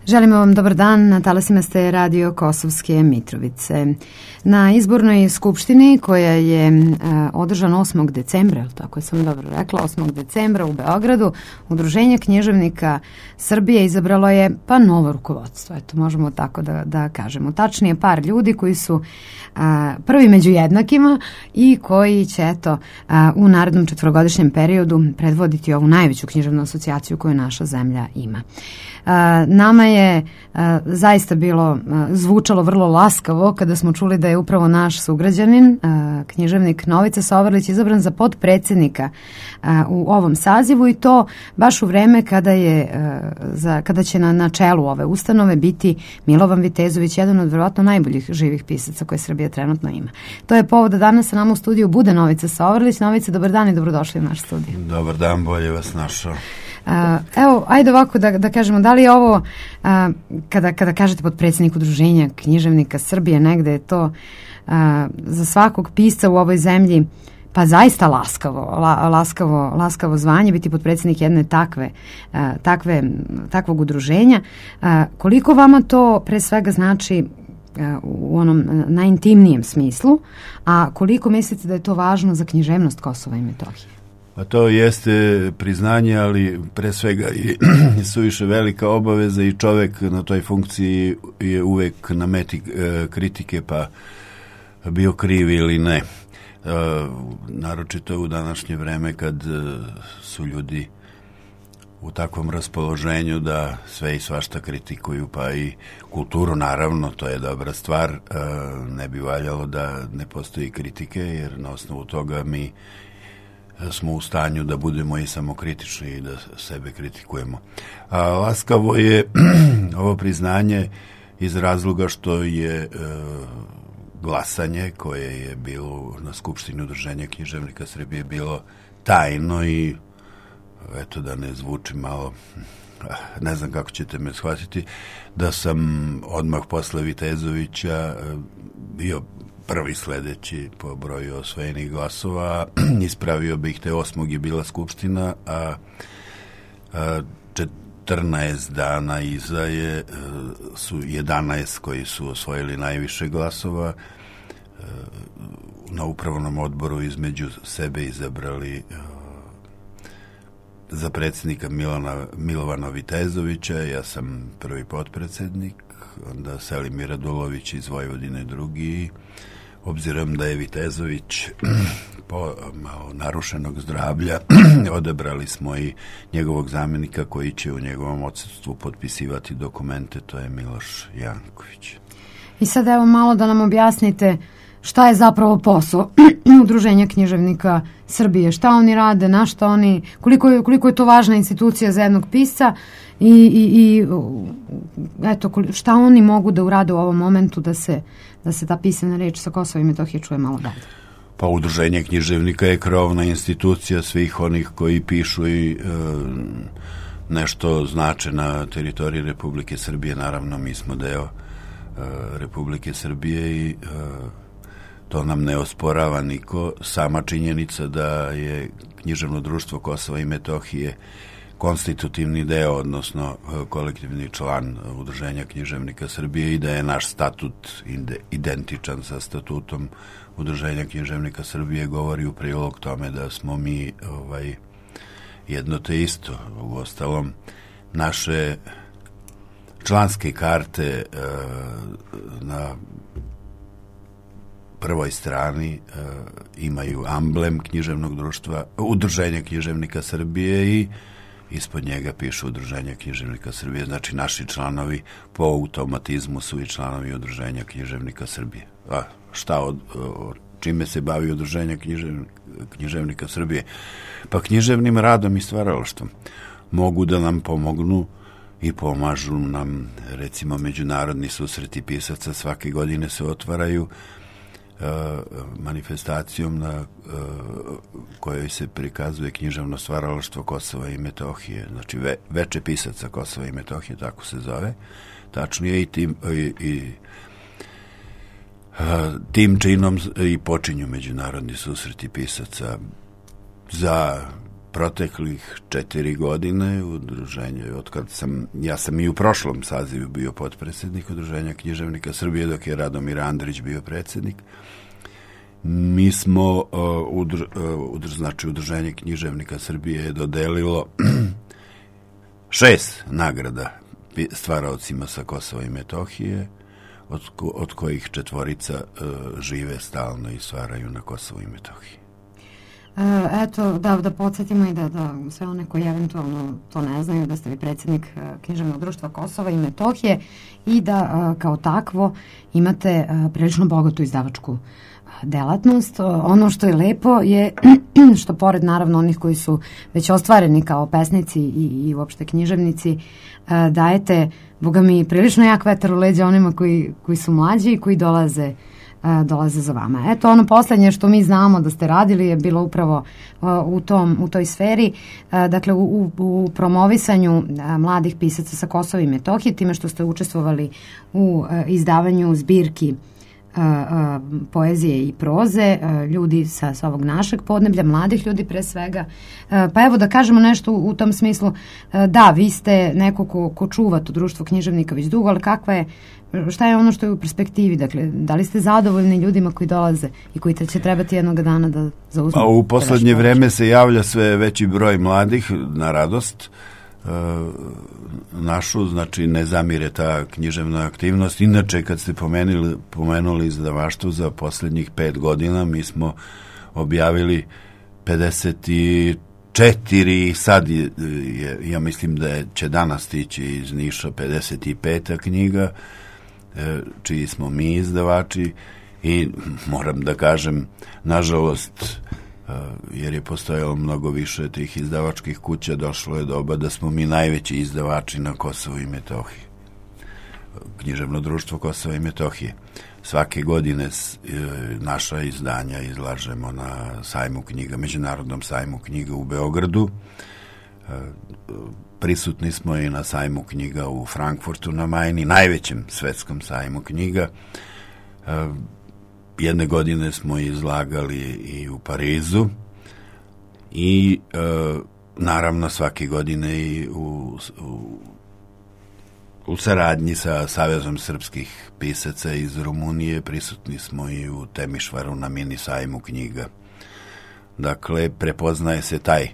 Želimo vam dobar dan, na talasima ste Radio Kosovske Mitrovice. Na izbornoj skupštini koja je održana 8. decembra, tako sam dobro rekla, 8. decembra u Beogradu, Udruženje književnika Srbije izabralo je novo rukovodstvo, eto možemo tako da kažemo. Tačnije par ljudi koji su prvi među jednakima i koji će u narednom 4-godišnjem periodu predvoditi ovu najveću književnu asocijaciju koju naša zemlja ima. Nama je zaista zvučalo vrlo laskavo kada smo čuli da je upravo naš sugrađanin, književnik Novica Soverlić, izabran za potpredsjednika u ovom sazivu, i to baš u vreme kada će na čelu ove ustanove biti Milovan Vitezović, jedan od verovatno najboljih živih pisaca koje Srbija trenutno ima. To je povod da danas sa nama u studiju bude Novica Soverlić. Novica, dobar dan i dobrodošli u naš studiju. Dobar dan, bolje vas našao. Evo, ajde ovako da kažemo, da li je ovo, kada kažete potpredsjednik Udruženja književnika Srbije, negde je to za svakog pisca u ovoj zemlji zaista laskavo zvanje, biti potpredsjednik jedne takvog udruženja. Koliko vama to pre svega znači u onom najintimnijem smislu, a koliko mislite da je to važno za književnost Kosova i Metohije? A to jeste priznanje, ali pre svega i suviše velika obaveza, i čovek na toj funkciji je uvek na meti kritike, pa bio kriv ili ne. Naročito u današnje vreme kad su ljudi u takvom raspoloženju da sve i svašta kritikuju, pa i kulturu, naravno, to je dobra stvar. Ne bi valjalo da ne postoji kritike, jer na osnovu toga mi smo u stanju da budemo i samokritični i da sebe kritikujemo. Laskavo je ovo priznanje iz razloga što je glasanje koje je bilo na Skupštini Udruženja književnika Srbije bilo tajno, i eto, da ne zvuči malo, ne znam kako ćete me shvatiti, da sam odmah posle Vitezovića bio prvi sledeći po broju osvojenih glasova. Ispravio bih, te 8. je bila Skupština, a 14 dana iza su 11 koji su osvojili najviše glasova. Na upravnom odboru između sebe izabrali za predsjednika Milovana Vitezovića, ja sam prvi potpredsjednik, onda Selimir Radulović iz Vojvodine drugi. Obzirom da je Vitezović po malo narušenog zdravlja, odabrali smo i njegovog zamjenika koji će u njegovom odsustvu potpisivati dokumente, to je Miloš Janković. I sad evo malo da nam objasnite šta je zapravo posao Udruženja književnika Srbije, šta oni rade, na šta oni, koliko je to važna institucija za jednog pisca, i eto, šta oni mogu da urade u ovom momentu da se ta pisana reč sa Kosova i Metohije čuje malo dalje. Pa Udruženje književnika je krovna institucija svih onih koji pišu i nešto znače na teritoriji Republike Srbije. Naravno, mi smo deo Republike Srbije i to nam ne osporava niko. Sama činjenica da je Književno društvo Kosova i Metohije konstitutivni deo, odnosno kolektivni član Udruženja književnika Srbije, i da je naš statut identičan sa statutom Udruženja književnika Srbije, govori u prilog tome da smo mi jedno te isto. Uostalom, naše članske karte na prvoj strani imaju amblem književnog društva, Udruženja književnika Srbije, i ispod njega piše Udruženja književnika Srbije. Znači, naši članovi po automatizmu su i članovi Udruženja književnika Srbije. Čime se bavi Udruženja književnika Srbije? Pa književnim radom i stvaralaštvom. Mogu da nam pomognu i pomažu nam, recimo, međunarodni susreti pisaca svake godine se otvaraju manifestacijom na kojoj se prikazuje književno stvaralaštvo Kosova i Metohije, znači veče pisaca Kosova i Metohije, tako se zove, tačnije, i tim činom i počinju međunarodni susreti pisaca za proteklih 4 godine udruženje, ja sam i u prošlom sazivu bio potpredsjednik Udruženja književnika Srbije, dok je Radomir Andrić bio predsjednik. Mi smo, znači Udruženje književnika Srbije je dodelilo 6 nagrada stvaraocima sa Kosova i Metohije, od kojih 4 žive stalno i stvaraju na Kosovu i Metohiji. Eto, da podsjetimo i da sve one koji eventualno to ne znaju, da ste vi predsjednik Književnog društva Kosova i Metohije i da kao takvo imate prilično bogatu izdavačku delatnost. Ono što je lepo je što pored naravno onih koji su već ostvareni kao pesnici i uopšte književnici, dajete, boga mi, prilično jak vetar u leđa onima koji su mlađi i koji dolaze za vama. Eto, ono poslednje što mi znamo da ste radili je bilo upravo u toj sferi, dakle u promovisanju mladih pisaca sa Kosova i Metohije, time što ste učestvovali u izdavanju zbirki poezije i proze, ljudi sa ovog našeg podneblja, mladih ljudi pre svega. Pa evo da kažemo nešto u tom smislu, da, vi ste neko ko čuva to društvo književnika već dugo, ali šta je ono što je u perspektivi? Dakle, da li ste zadovoljni ljudima koji dolaze i koji će trebati jednog dana da zauzmu? U poslednje vreme se javlja sve veći broj mladih, na radost našu, znači ne zamire ta književna aktivnost. Inače, kad ste pomenuli izdavaštvo za poslednjih 5 godina, mi smo objavili 54, sad ja mislim da će danas stići iz Niša 55. knjiga, čiji smo mi izdavači, i moram da kažem, nažalost, jer je postojalo mnogo više tih izdavačkih kuća, došlo je doba da smo mi najveći izdavači na Kosovu i Metohiji. Književno društvo Kosova i Metohije. Svake godine naša izdanja izlažemo na sajmu knjiga, Međunarodnom sajmu knjiga u Beogradu. Prisutni smo i na sajmu knjiga u Frankfurtu na Majni, najvećem svetskom sajmu knjiga. Jedne godine smo izlagali i u Parizu i naravno svake godine i u saradnji sa Savezom srpskih pisaca iz Rumunije prisutni smo i u Temišvaru na mini sajmu knjiga. Dakle, prepoznaje se taj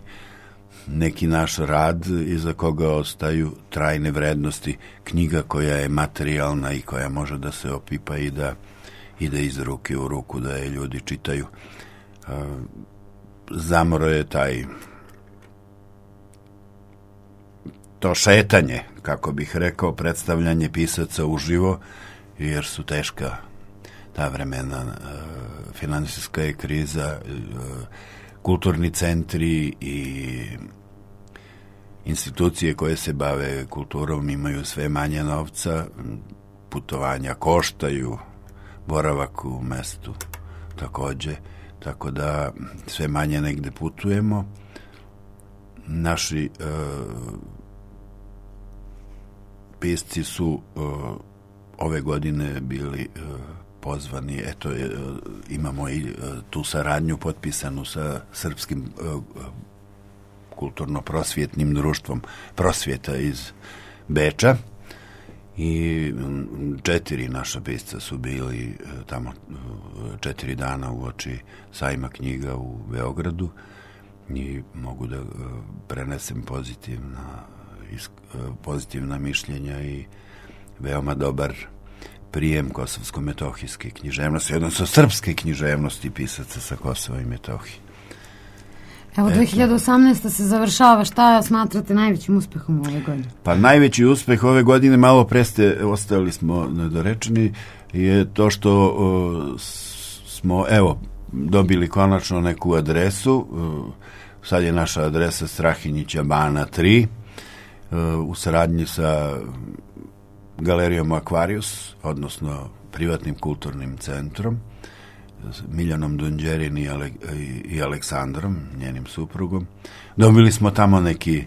neki naš rad iza koga ostaju trajne vrednosti, knjiga koja je materijalna i koja može da se opipa i da ide iz ruke u ruku, da je ljudi čitaju. Zamro je to šetanje, kako bih rekao, predstavljanje pisaca uživo, jer su teška ta vremena, finansijska je kriza, kulturni centri i institucije koje se bave kulturom imaju sve manje novca, putovanja koštaju, boravak u mestu takođe, tako da sve manje negde putujemo. Naši pisci su ove godine bili pozvani, eto, imamo i tu saradnju potpisanu sa Srpskim kulturno-prosvjetnim društvom Prosvjeta iz Beča, i 4 naša pisca su bili tamo 4 dana uoči sajma knjiga u Beogradu i mogu da prenesem pozitivna mišljenja i veoma dobar prijem kosovsko-metohijske književnosti, odnosno srpske književnosti pisaca sa Kosova i Metohije. Evo, 2018. se završava. Šta smatrate najvećim uspehom ove godine? Pa najveći uspeh ove godine, malo preste ostali smo nedorečeni, je to što smo, dobili konačno neku adresu. Sad je naša adresa Strahinjića Bana 3, u saradnji sa Galerijom Aquarius, odnosno privatnim kulturnim centrom, Miljanom Dunđerin i Aleksandrom, njenim suprugom. Dobili smo tamo neki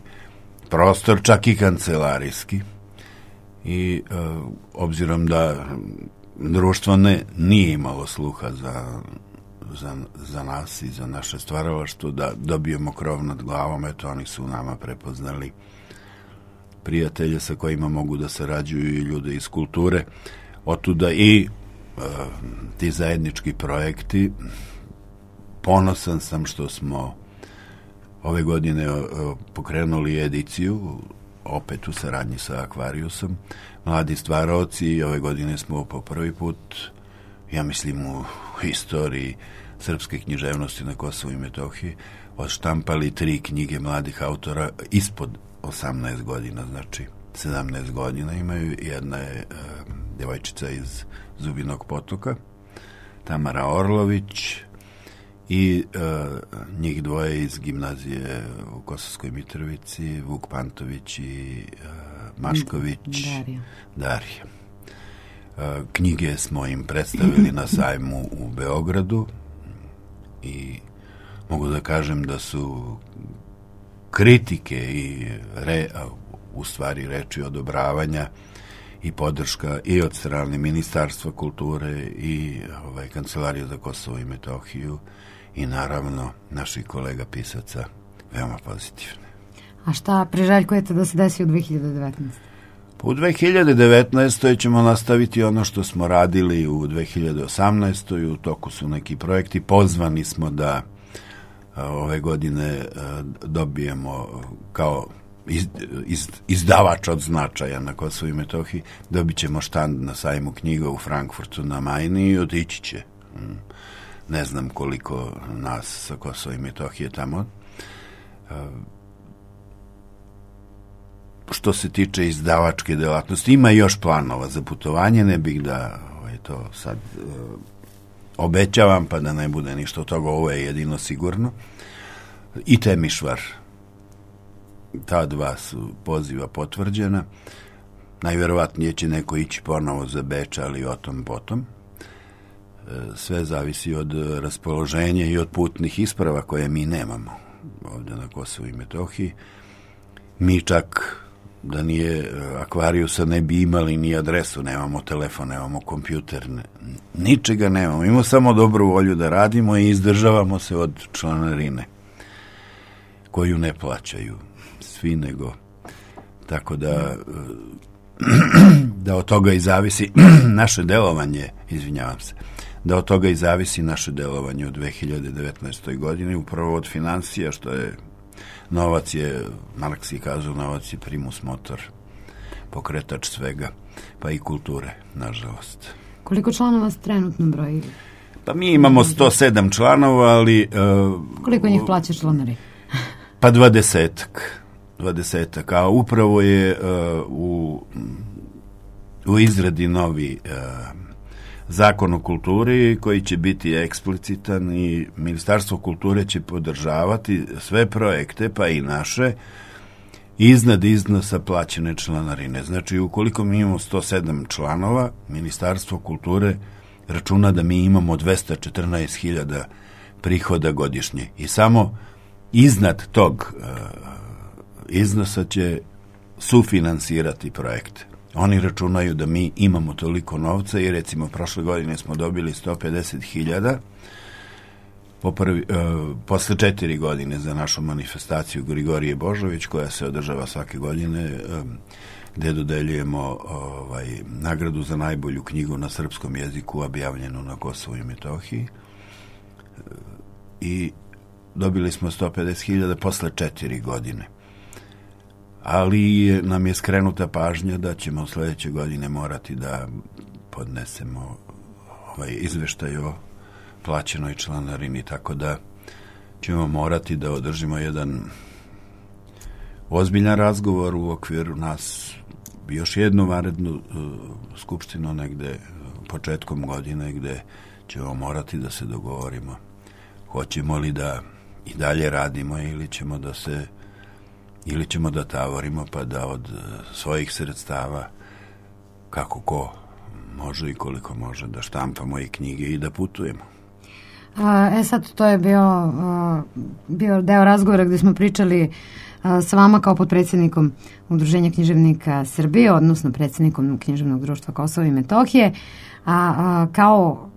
prostor, čak i kancelarijski, i obzirom da društvo nije imalo sluha za za nas i za naše stvaralaštvo, da dobijemo krov nad glavom. Eto, oni su nama prepoznali prijatelje sa kojima mogu da sarađuju i ljude iz kulture. Otuda i ti zajednički projekti. Ponosan sam što smo ove godine pokrenuli ediciju, opet u saradnji sa Akvariusom, Mladi stvaraoci, i ove godine smo po prvi put, ja mislim u historiji srpske književnosti na Kosovu i Metohiji, odštampali 3 knjige mladih autora ispod 18 godina, znači 17 godina imaju. Jedna je devojčica iz Zubinog Potoka, Tamara Orlović, i njih dvoje iz gimnazije u Kosovskoj Mitrovici, Vuk Pantović i Mašković Darija. Knjige smo im predstavili na sajmu u Beogradu i mogu da kažem da su kritike i u stvari reči odobravanja i podrška i od strane Ministarstva kulture i Kancelarije za Kosovo i Metohiju i naravno naših kolega pisaca veoma pozitivne. A šta priželjkujete da se desi u 2019? U 2019. ćemo nastaviti ono što smo radili u 2018. U toku su neki projekti. Pozvani smo da ove godine dobijemo kao izdavač od značaja na Kosovu i Metohiji, dobit ćemo štand na sajmu knjiga u Frankfurtu na Majni i otići će. Ne znam koliko nas sa Kosova i Metohije tamo. Što se tiče izdavačke delatnosti, ima još planova za putovanje, ne bih da to sad obećavam, pa da ne bude ništa od toga, ovo je jedino sigurno. I Temišvar. Ta 2 su poziva potvrđena. Najverovatnije će neko ići ponovo za Beč, ali o tom potom. Sve zavisi od raspoloženja i od putnih isprava koje mi nemamo ovdje na Kosovu i Metohiji. Mi čak da nije Akvariusa ne bi imali ni adresu, nemamo telefon, nemamo kompjuter, ničega nemamo. Imamo samo dobru volju da radimo i izdržavamo se od članarine koju ne plaćaju svi, nego tako da od toga i zavisi naše delovanje, izvinjavam se, da od toga i zavisi naše delovanje u 2019. godini, upravo od financija, što je novac je, Marks je kazao, novac je primus motor, pokretač svega, pa i kulture, nažalost. Koliko članova ste trenutno brojili? Pa mi imamo 107 članova, ali... Koliko njih plaća članari? Pa 20-ak, a upravo je u izradi novi zakon o kulturi koji će biti eksplicitan i Ministarstvo kulture će podržavati sve projekte, pa i naše, iznad iznosa plaćene članarine. Znači, ukoliko mi imamo 107 članova, Ministarstvo kulture računa da mi imamo 214.000 prihoda godišnje i samo iznad tog iznosa će sufinansirati projekte. Oni računaju da mi imamo toliko novca i recimo prošle godine smo dobili 150.000 posle 4 godine za našu manifestaciju Grigorije Božović koja se održava svake godine, gde dodeljujemo nagradu za najbolju knjigu na srpskom jeziku objavljenu na Kosovu i Metohiji, i dobili smo 150.000 posle 4 godine. Ali nam je skrenuta pažnja da ćemo sledeće godine morati da podnesemo izveštaj o plaćenoj članarini, tako da ćemo morati da održimo jedan ozbiljan razgovor u okviru nas, još jednu vanrednu skupštinu negde početkom godine, gde ćemo morati da se dogovorimo hoćemo li da i dalje radimo ili ćemo da tavorimo pa da od svojih sredstava kako ko može i koliko može da štampamo i knjige i da putujemo. Sad to je bio deo razgovora gde smo pričali sa vama kao potpredsjednikom Udruženja književnika Srbije, odnosno predsjednikom Književnog društva Kosova i Metohije, kao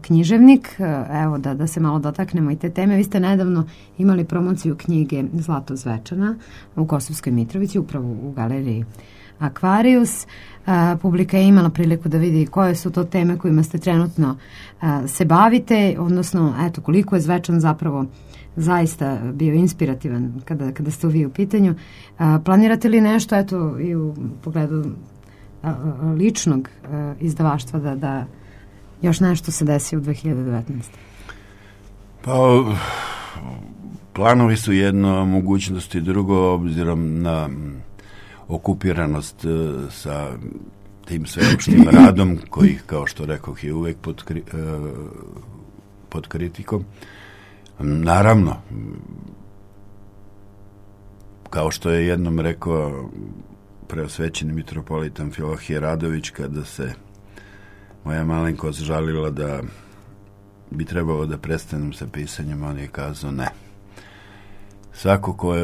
književnik, evo da se malo dotaknemo i te teme. Vi ste nedavno imali promociju knjige Zlato Zvečana u Kosovskoj Mitrovici, upravo u galeriji Akvarijus. Publika je imala priliku da vidi koje su to teme kojima ste trenutno se bavite, odnosno eto koliko je Zvečan zapravo zaista bio inspirativan kada ste vi u pitanju. Planirate li nešto eto i u pogledu ličnog izdavaštva da još nešto se desi u 2019. Pa, planovi su jedno, mogućnosti drugo, obzirom na okupiranost sa tim sveopštim radom, koji, kao što rekoh, je uvek pod kritikom. Naravno, kao što je jednom rekao preosvećeni mitropolitan Filohije Radović, kada se moja malenkost žalila da bi trebalo da prestanem sa pisanjem, on je kazao ne. Svako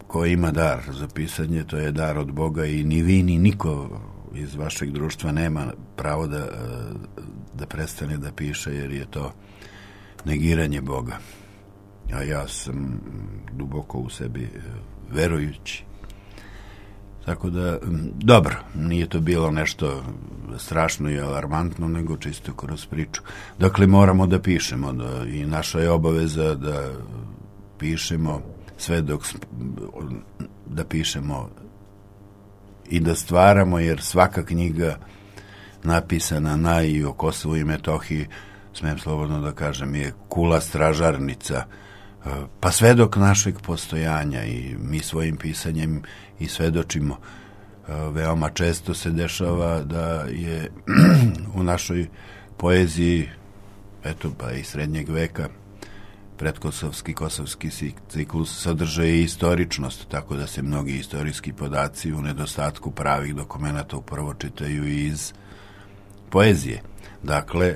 ko ima dar za pisanje, to je dar od Boga i ni vi ni niko iz vašeg društva nema pravo da prestane da piše, jer je to negiranje Boga. A ja sam duboko u sebi verujući. Tako da, dobro, nije to bilo nešto strašno i alarmantno, nego čisto kroz priču. Dakle, moramo da pišemo i naša je obaveza da pišemo sve dok da pišemo i da stvaramo, jer svaka knjiga napisana i o Kosovu i Metohiji, smijem slobodno da kažem, je kula stražarnica, pa sve dok našeg postojanja, i mi svojim pisanjem i svedočimo. Veoma često se dešava da je u našoj poeziji, eto pa i srednjeg veka, predkosovski, kosovski ciklus sadrže i istoričnost, tako da se mnogi istorijski podaci u nedostatku pravih dokumenata upravo čitaju iz poezije. Dakle,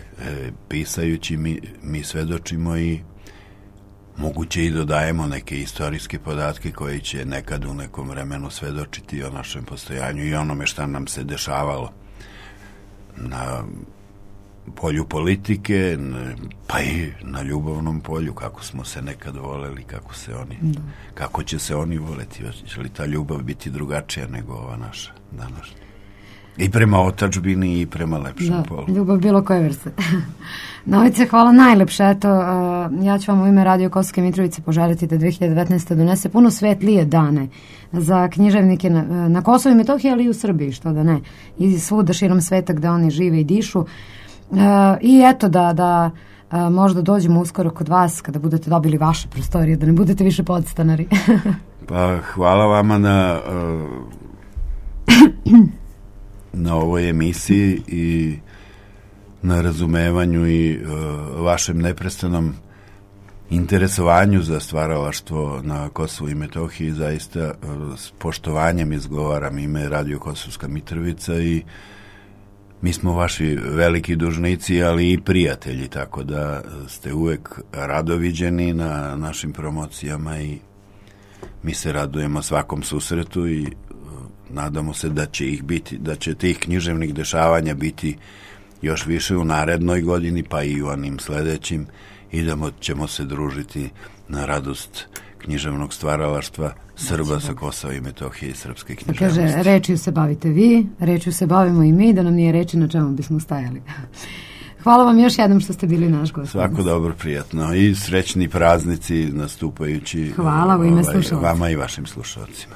pisajući mi svedočimo i moguće i dodajemo neke istorijske podatke koji će nekad u nekom vremenu svedočiti o našem postojanju i onome šta nam se dešavalo na polju politike, pa i na ljubavnom polju, kako smo se nekad voleli, kako će se oni voleti, će li ta ljubav biti drugačija nego ova naša današnja. I prema otadžbini i prema lepšem polu. Ljubav bilo koje vrste. Novice, hvala najlepše. Eto, ja ću vam u ime Radio Kosovske Mitrovice poželiti da 2019. donese puno svetlije dane za književnike na Kosovu i Metohiji, ali i u Srbiji, što da ne. I svuda širom sveta gde oni žive i dišu. I eto da možda dođemo uskoro kod vas kada budete dobili vaše prostorije, da ne budete više podstanari. Pa hvala vama na ovoj emisiji i na razumevanju i vašem neprestanom interesovanju za stvaralaštvo na Kosovu i Metohiji. Zaista s poštovanjem izgovaram ime Radio Kosovska Mitrovica i mi smo vaši veliki dužnici, ali i prijatelji, tako da ste uvek radoviđeni na našim promocijama i mi se radujemo svakom susretu i nadamo se da će ih biti, da će tih književnih dešavanja biti još više u narednoj godini, pa i u onim sledećim, i da ćemo se družiti na radost književnog stvaralaštva Srba sa Kosova i Metohije i srpske književnosti. Kaže, rečju se bavite vi, rečju se bavimo i mi, da nam nije reči na čemu bismo stajali. Hvala vam još jednom što ste bili naš gost. Svako dobro, prijatno i srećni praznici nastupajući. Hvala u ime slušalaca. Vama i vašim slušalcima.